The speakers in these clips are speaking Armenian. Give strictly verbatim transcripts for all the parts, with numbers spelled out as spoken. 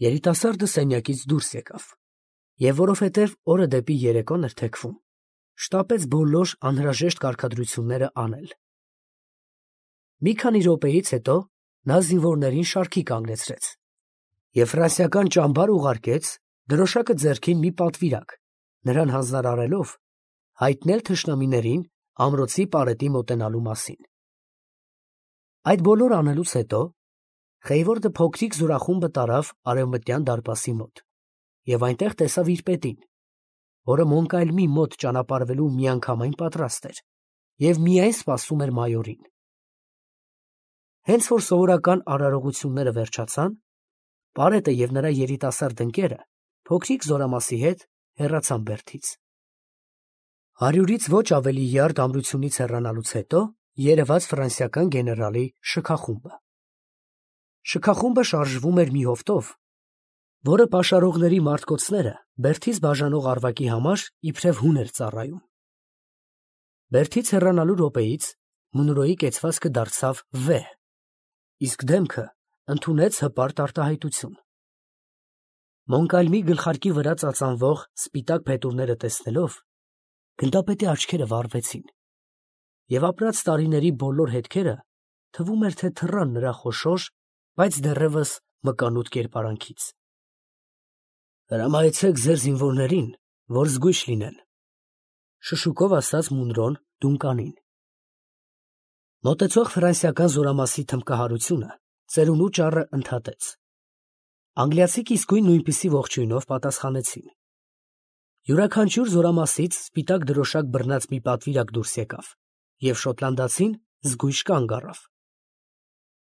Երիտասարդը սենյակից դուրս եկավ, և որովհետև օրը դեպի երեկոն էր թեքվում, շտապեց բոլոր անհրաժեշտ կարգադրությունները անել։ Մի քանի րոպեից հետո նա զինվորներին շարքի կանգնեցրեց և ֆրանսիական ճամբար ուղարկեց դրոշակը ձեռքին մի պատվիրակ, նրան հանձնարարելով հայտնել թշնամիներին ամրոցի պարետի մոտենալու մասին։ Այդ բոլորը անելուց հետո Խեյվորդը փոքրիկ զորախումբը տարավ արևմտյան դարպասի մոտ և այնտեղ տեսավ իր պետին, որը Մոնկայլմի մոտ ճանապարհվելու միանգամայն պատրաստ էր և միայն սպասում էր մայորին։ Հենց որ սովորական արարողությունները վերջացան, պարետը և նրա երիտասարդ ընկերը փոքրիկ զորամասի հետ հեռացան Բերդից։ Հարյուրից ոչ ավելի յարդ ամրությունից հեռանալուց հետո երևաց ֆրանսիական գեներալի շքախումբը։ Շքախումբը շարժվում էր մի հովտով, որը պաշարողների մարտկոցները Բերդից բաժանող առվակի համար իբրև հուն էր ծառայում։ Բերդից հեռանալու րոպեից Մունրոյի կեցվածքը դարձավ վեհ, իսկ դեմքը ընդունեց հպարտ արտահայտություն։ Մոնկալմի գլխարկի վրա ծածանվող սպիտակ փետուրները տեսնելով, գնդապետի աչքերը վառվեցին, և ապրած տարիների բոլոր հետքերը թվում էր, թե թռան նրա խոշոր, բայց դեռևս մկանուտ կերպարանքից։ «Հրամայեցեք ձեր զինվորներին, որ զգույշ լինեն», ֊ շշուկով ասաց Մունրոն Դունկանին։ Մոտեցող ֆրանսիական զորամասի թմբկահարությունը ծերունու ճառը ընդհատեց։ Անգլիացիք իսկույն նույնպիսի ողջույնով պատասխանեցին։ Յուրաքանչյուր զորամասից սպիտակ դրոշակ բռնած մի պատվիրակ դուրս եկավ, և շոտլանդացին զգույշ կանգ առավ։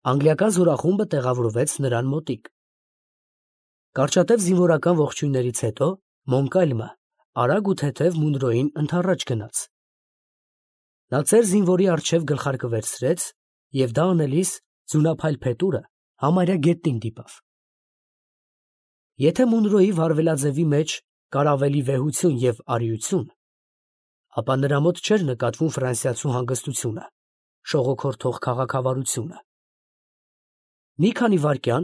Անգլիական զորախումբը տեղավորվեց նրան մոտիկ։ Կարճատև զինվորական ողջույններից հետո Մոնկալմը արագ ու թեթև Մունրոյին ընդառաջ գնաց։ Նա ծեր զինվորի առջև գլխարկը վերցրեց և դա անելիս ձյունափայլ փետուրը համարյա գետնին դիպավ։ Եթե Մունրոյի վարվելաձևի մեջ կար ավելի վեհություն և արիություն, ապա նրա մոտ չէր նկատվում ֆրանսիացու հանգստությունը, շողոքորթող քաղաքավարությունը։ Մի քանի վայրկյան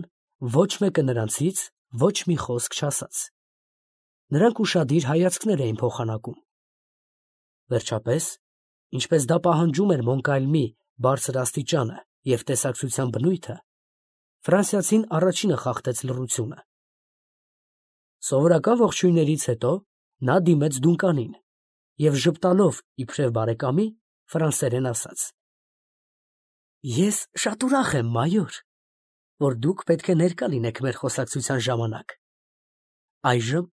ոչ մեկը նրանցից ոչ մի խոսք չասաց։ Նրանք ուշադիր հայացքներ էին փոխանակում։ Վերջապես, ինչպես դա պահանջում էր Մոնկալմի բարձր աստիճանը և տեսակցության բնույթը, ֆրանսիացին առաջինը խախտեց լռությունը։ Սովորական ողջույններից հետո նա դիմեց Դունկանին և ժպտալով իբրև բարեկամի, ֆրանսերեն ասաց. «Ես շատ ուրախ եմ, մայոր, որ դուք պետք է ներկա լինեք մեր խոսակցության ժամանակ։ Այժմ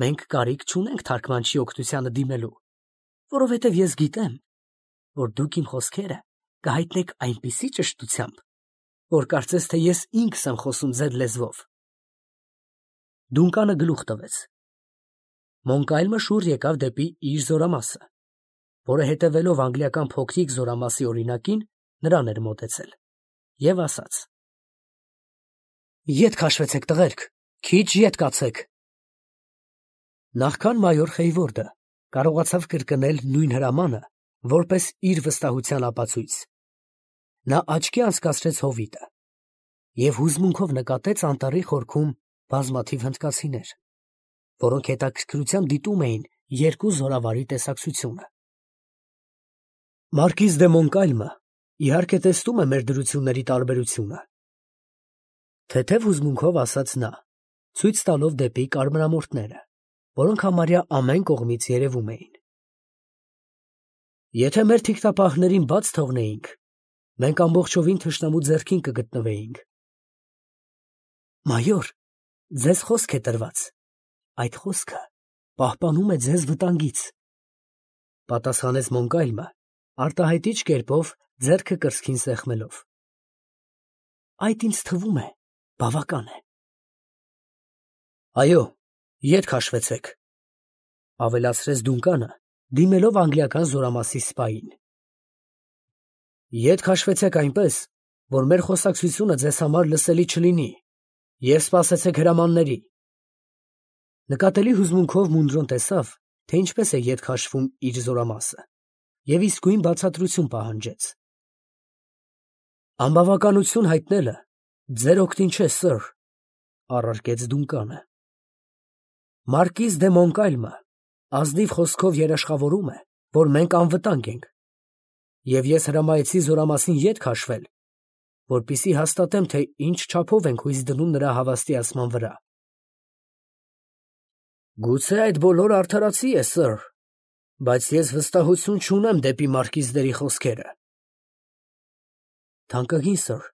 մենք կարիք չունենք թարգմանչի օգնությանը դիմելու, որովհետև ես գիտեմ, որ դուք իմ խոսքերը կհայտնեք այնպիսի ճշտությամբ, որ կարծես թե ես ինքս եմ խոսում ձեր լեզվով»։ Դունկանը գլուխ տվեց։ Մոնկալմը շուռ եկավ դեպի իր զորամասը, որը հետևելով անգլիական փոքրիկ զորամասի օրինակին նրան էր մոտեցել, և ասաց. «Ետ քաշվեցեք, տղերք, քիչ ետ կացեք»։ Նախքան մայոր Խեյվորդը կարողացավ կրկնել նույն հրամանը որպես իր վստահության ապացույց, նա աչքի անցկացրեց հովիտը և հուզմունքով նկատեց անտառի խորքում բազմաթիվ հնդկացիներ, որոնք հետաքրքրությամբ դիտում էին երկու զորավարի տեսակցությունը։ Մարկիզ դե Մոնկալմը իհարկե տեսնում է մեր դրությունների տարբերությունը, թեթև հուզմունքով ասաց նա, ցույց տալով դեպի կարմրամորթները, որոնք համարյա ամեն կողմից երևում էին։ Եթե մեր թիկնապահներին բաց թողնեինք, մենք ամբողջովին թշնամու ձեռքին կգտնվեինք։ Մայոր, ձեզ խոսք է տրված, այդ խոսքը պահպանում է ձեզ վտանգից, ֊ պատասխանեց Մոնկալմը արտահայտիչ կերպով ձեռքը կրծքին սեղմելով։ Այդ ինձ թվում է բավական է։ Այո, ետ քաշվեցեք, ֊ ավելացրեց Դունկանը, դիմելով անգլիական զորամասի սպային։ Ետ քաշվեցեք այնպես, որ մեր խոսակցությունը ձեզ համար լսելի չլինի, և սպասեցեք հրամանների։ Նկատելի հուզմունքով Մունրոն տեսավ, թե ինչպես է ետ քաշվում իր զորամասը, և իսկույն բացատրություն պահանջեց։ Անբավականություն հայտնելը ձեր օգտին չէ, սըր, առարկեց Դունկանը։ Մարկիզ դե Մոնկալմը ազնիվ խոսքով երաշխավորում է, որ մենք անվտանգ ենք, և ես հրամայեցի զորամասին ետ քաշվել, որպեսզի հաստատեմ, թե ինչ չափով ենք հույս դնում նրա հավաստիացման վրա։ Գուցե այդ բոլորը արդարացի է, սըր, բայց ես վստահություն չունեմ դեպի մարկիզների խոսքերը։ Թանկագին սըր,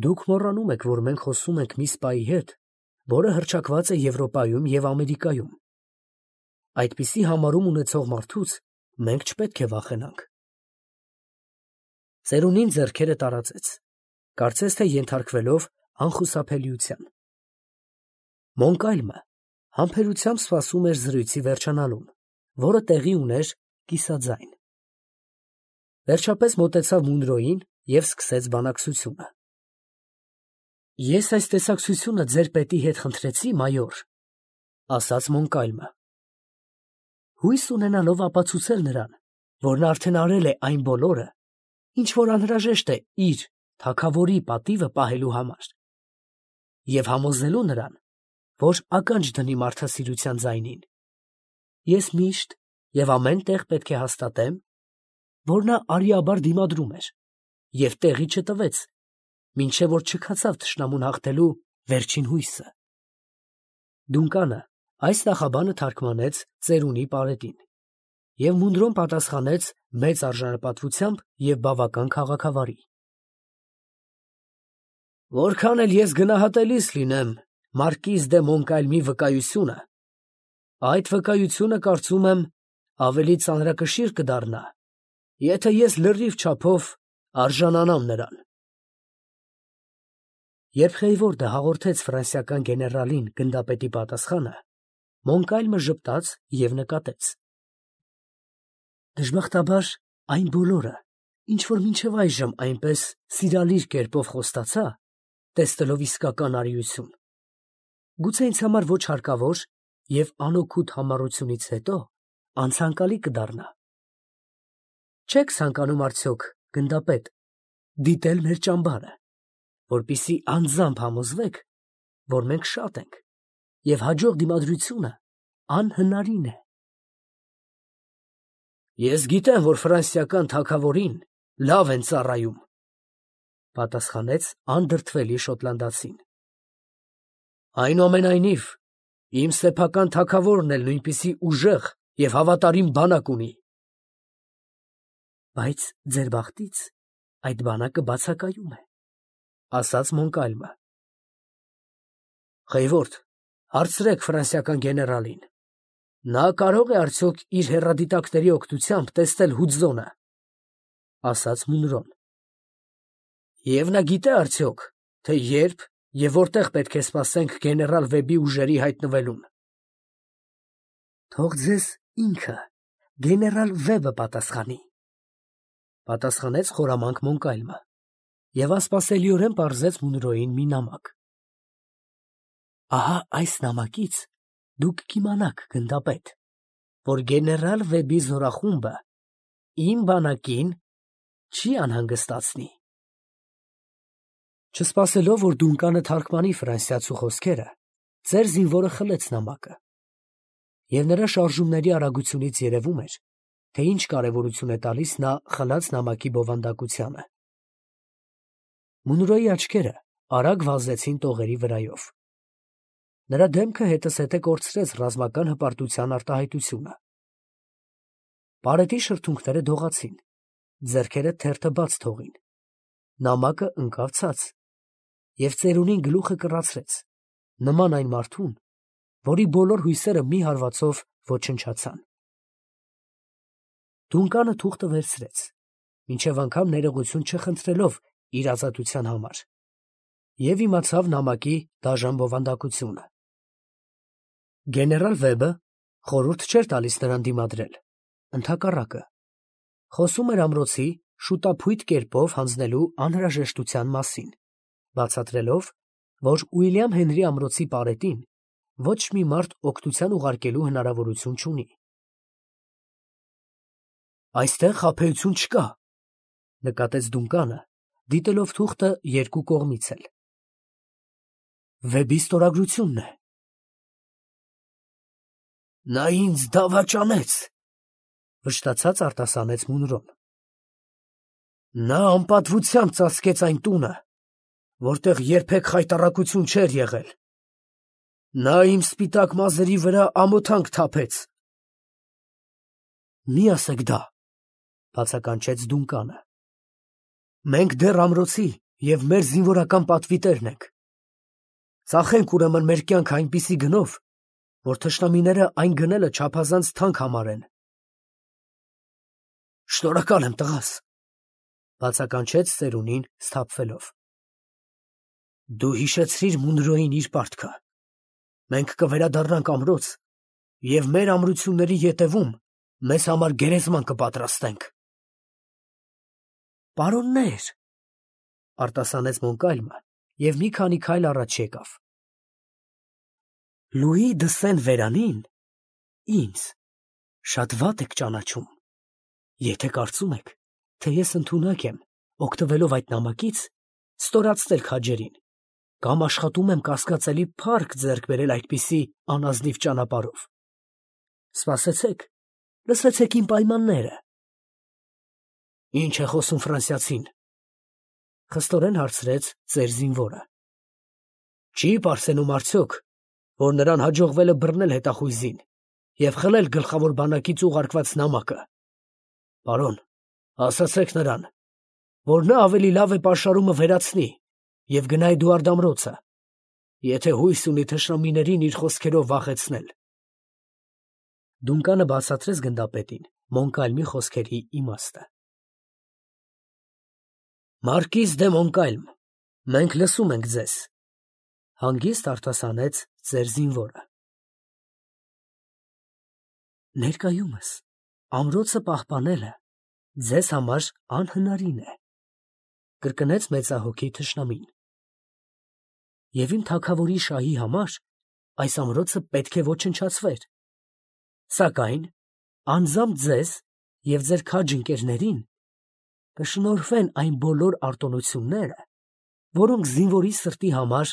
դուք մոռանում եք, որ մենք խոսում ենք մի սպայի հետ, որը հռչակված է Եվրոպայում և Ամերիկայում։ Այդպիսի համարում ունեցող մարդուց մենք չպետք է վախենանք։ Ծերունին ձեռքերը տարածեց, կարծես թե ենթարկվելով անխուսափելիության։ Մոնկալմը համբերությամբ սպասում էր զրույցի վերջանալուն, որը տեղի ուներ կիսաձայն։ Վերջապես մոտեցավ Մունրոյին և սկսեց բանակցությունը։ Ես այս տեսակցությունը ձեր պետի հետ խնդրեցի, մայոր, ասաց Մոնկալմը, հույս ունենալով ապացուցել նրան, որ նա արդեն արել է այն բոլորը, ինչ որ անհրաժեշտ է իր թագավորի պատիվը պահելու համար, և համոզելու նրան, որ ականջ դնի մարդասիրության ձայնին։ Ես միշտ և ամեն տեղ պետք է հաստատեմ, որ նա արիաբար դիմադրում էր և տեղի չտվեց, մինչև որ չքացավ թշնամուն հաղթելու վերջին հույսը։ Դունկանը այս նախաբանը թարգմանեց ծերունի պարետին, և Մունրոն պատասխանեց մեծ արժանապատվությամբ և բավական քաղաքավարի. Որքան էլ ես գնահատելիս լինեմ մարկիզ դե Մոնկալմի վկայությունը, այդ վկայությունը, կարծում եմ, ավելի ծանրակշիռ կդառնա, եթե ես լրիվ չափով արժանանամ նրան։ Երբ Խեյվորդը հաղորդեց ֆրանսիական գեներալին գնդապետի պատասխանը, Մոնկալմը ժպտաց և նկատեց. Դժբախտաբար այն բոլորը, ինչ որ մինչև այժմ այնպես սիրալիր կերպով խոստացա, տեսնելով իսկական արիություն, գուցե ինձ համար ոչ հարկավոր և անօգուտ համառությունից հետո անցանկալի կդառնա։ Չե՞ք ցանկանում արդյոք, գնդապետ, դիտել մեր ճամբարը, որպեսզի անձամբ համոզվեք, որ մենք շատ ենք, և հաջող դիմադրությունը անհնարին է։ Ես գիտեմ, որ ֆրանսիական թագավորին լավ են ծառայում, պատասխանեց անդրդվելի շոտլանդացին։ Այնուամենայնիվ, իմ սեփական թագավորն էլ նույնպիսի ուժեղ և հավատարիմ բանակ ունի։ Բայց ձեր բախտից այդ բանակը բացակայում է, ասաց Մոնկալմը։ Խեյվորդ, հարցրեք ֆրանսիական գեներալին, նա կարո՞ղ է արդյոք իր հեռադիտակների օգնությամբ տեսնել Հուդզոնը, ասաց Մունրոն։ Եվ նա գիտե արդյոք, թե երբ և որտեղ պետք է սպասենք գեներալ Վեբի ուժերի հայտնվելուն։ Թող ձեզ ինքը, գեներալ Վեբը պատասխանի, պատասխանեց խորամանկ Մոնկալմը և անսպասելիորեն պարզեց Մունրոյին մի նամակ։ Ահա այս նամակից դուք կիմանաք, գնդապետ, որ գեներալ Վեբի զորախումբը իմ բանակին չի անհանգստացնի։ Չսպասելով, որ Դունկանը թարգմանի ֆրանսիացու խոսքերը, ծեր զինվորը խլեց նամակը, և նրա շարժումների արագությունից երևում էր, թե ինչ կարևորություն է տալիս նա խլած նամակի բովանդակությանը։ Մունրոյի աչքերը արագ վազեցին տողերի վրայով։ Նրա դեմքը հետզհետե կորցրեց ռազմական հպարտության արտահայտությունը։ Պարետի շրթունքները դողացին, ձեռքերը թերթը բաց թողին, նամակը ընկավ ցած, և ծերունին գլուխը կռացրեց, նման այն մարդուն, որի բոլոր հույսերը մի հարվածով ոչնչացան։ Դունկանը թուղթը վերցրեց, մինչև անգամ ներողություն չխնդրելով իր ազատության համար, և իմացավ նամակի դաժան բովանդակությունը։ Գեներալ Վեբը խորհուրդ չէր տալիս նրան դիմադրել, ընդհակառակը, խոսում էր ամրոցի շուտափույթ կերպով հանձնելու անհրաժեշտության մասին, բացատրելով, որ Ուիլյամ Հենրի ամրոցի պարետին ոչ մի մարդ օգնության ուղարկելու հնարավորություն չունի։ Այստեղ խաբեություն չկա, նկատեց Դունկանը, դիտելով թուղթը երկու կողմից էլ։ Վեբի ստորագրությունն է։ Նա ինձ դավաճանեց, վշտացած արտասանեց Մունրոն։ Նա անպատվությամբ ծածկեց այն տունը, որտեղ երբեք խայտառակություն չէր եղել։ Նա իմ սպիտակ մազերի վրա ամոթանք թափեց։ Մի ասեք դա, բացականչեց Դունկանը։ Մենք դեռ ամրոցի և մեր զինվորական պատվիտերն ենք։ Ծախենք ուրեմն մեր կյանքը այնպիսի գնով, որ թշնամիները այն գնելը չափազանց թանկ համարեն։ Շնորհակալ եմ, տղաս, բացականչեց ծերունին սթափվելով։ Դու հիշեցրիր Մունրոյին իր պարտքը։ Մենք կվերադառնանք ամրոց և մեր ամրությունների ետևում մեզ համար գերեզման կպատրաստենք։ Պարոննե՛ր, արտասանեց Մոնկալմը և մի քանի քայլ առաջ եկավ։ Լուի դը Սեն֊Վերանին ինձ շատ վատ եք ճանաչում, եթե կարծում եք, թե ես ընդունակ եմ, օգտվելով այդ նամակից, ստորացնել քաջերին, կամ աշխատում եմ կասկածելի փառք ձեռք բերել այդպիսի անազնիվ ճանապարհով։ Սպասեցեք, լսեցեք իմ պայմանները։ Ինչ է խոսում ֆրանսիացին, խստորեն հարցրեց ծեր զինվորը։ Չի պարծենում արդյոք, որ նրան հաջողվել է բռնել հետախույզին և խլել գլխավոր բանակից ուղարկված նամակը։ Պարոն, ասացեք նրան, որ նա ավելի լավ է պաշարումը վերացնի և գնա Էդուարդ ամրոցը, եթե հույս ունի թշնամիներին իր խոսքերով վախեցնել։ Դունկանը բացատրեց գնդապետին Մոնկալմի խոսքերի իմաստը։ Մարկիս դե Մոնկալմ, մենք լսում ենք ձեզ, հանգիստ արտասանեց ծեր զինվորը։ Ներկայումս ամրոցը պահպանելը ձեզ համար անհնարին է, կրկնեց մեծահոգի թշնամին։ Եվ իմ թագավորի շահի համար այս ամրոցը պետք է ոչնչացվեր, սակայն անձամբ ձեզ և ձեր քաջ ընկերներին կշնորհվեն այն բոլոր արտոնությունները, որոնք զինվորի սրտի համար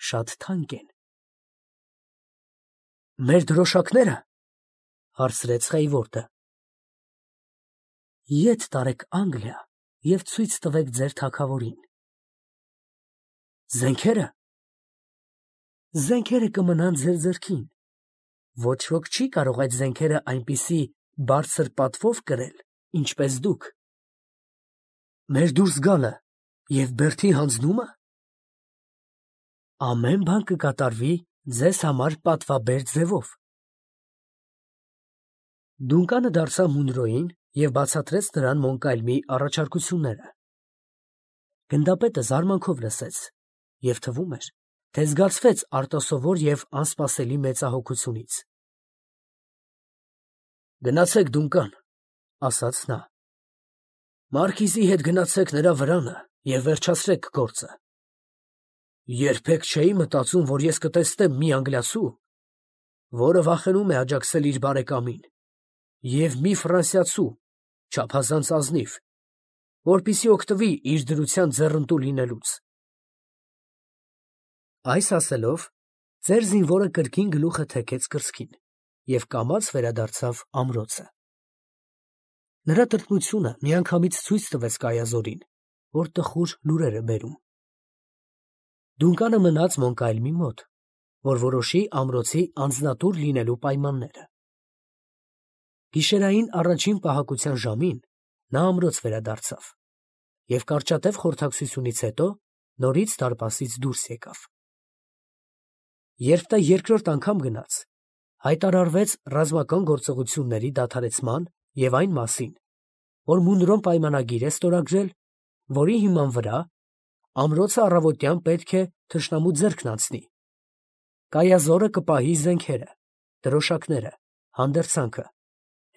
շատ թանկ են։ Մեր դրոշակնե՞րը, հարցրեց Խեյվորտը։ Ետ տարեք Անգլիա և ցույց տվեք ձեր թագավորին։ Զենքե՞րը։ Զենքերը կմնան ձեր ձեռքին։ Ոչ ոք չի կարող այդ զենքերը այնպիսի բարձր պատվով կրել, ինչպես դուք։ Մեր դուրս գալը և բերդի հանձնումը։ Ամեն բան կկատարվի ձեզ համար պատվաբեր ձևով։ Դունկանը դարձավ Մունրոյին և բացատրեց նրան Մոնկալմի առաջարկությունները։ Գնդապետը զարմանքով լսեց և թվում էր, թե զգացվեց արտասովոր և անսպասելի մեծահոգությունից։ Գնացեք Դունկան, ասաց նա։ Մարկիզի հետ գնացեք նրա վրանը և վերջացրեք գործը։ Երբեք չէի մտածում, որ ես կտեսնեմ մի անգլիացու, որը վախենում է աջակցել իր բարեկամին, և մի ֆրանսիացու, չափազանց ազնիվ, որպեսզի օգտվի իր դրության ձեռնտու լինելուց։ Այս ասելով, ծեր զինվորը կրկին գլուխը թեքեց կրծքին և կամաց վերադարձավ ամրոցը։ Նրա տրտմությունը միանգամից ցույց տվեց Կայազորին, որ տխուր լուրեր է բերում։ Դունկանը մնաց Մոնկալմի մոտ, որ որոշի ամրոցի անձնատուր լինելու պայմանները։ Գիշերային առաջին պահակության ժամին նա ամրոց վերադարձավ և կարճատև խորհրդակցությունից հետո նորից դարպասից դուրս եկավ։ Երբ նա երկրորդ անգամ գնաց, հայտարարվեց ռազմական գործողությունների դադարեցման և այն մասին, որ Մունրոն պայմանագիր է ստորագրել, որի հիման վրա ամրոցը առավոտյան պետք է թշնամու ձեռքն անցնի։ Կայազորը կպահի զենքերը, դրոշակները, հանդերձանքը,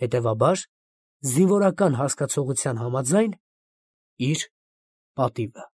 հետևաբար, զինվորական հասկացողության համաձայն, իր պատիվը։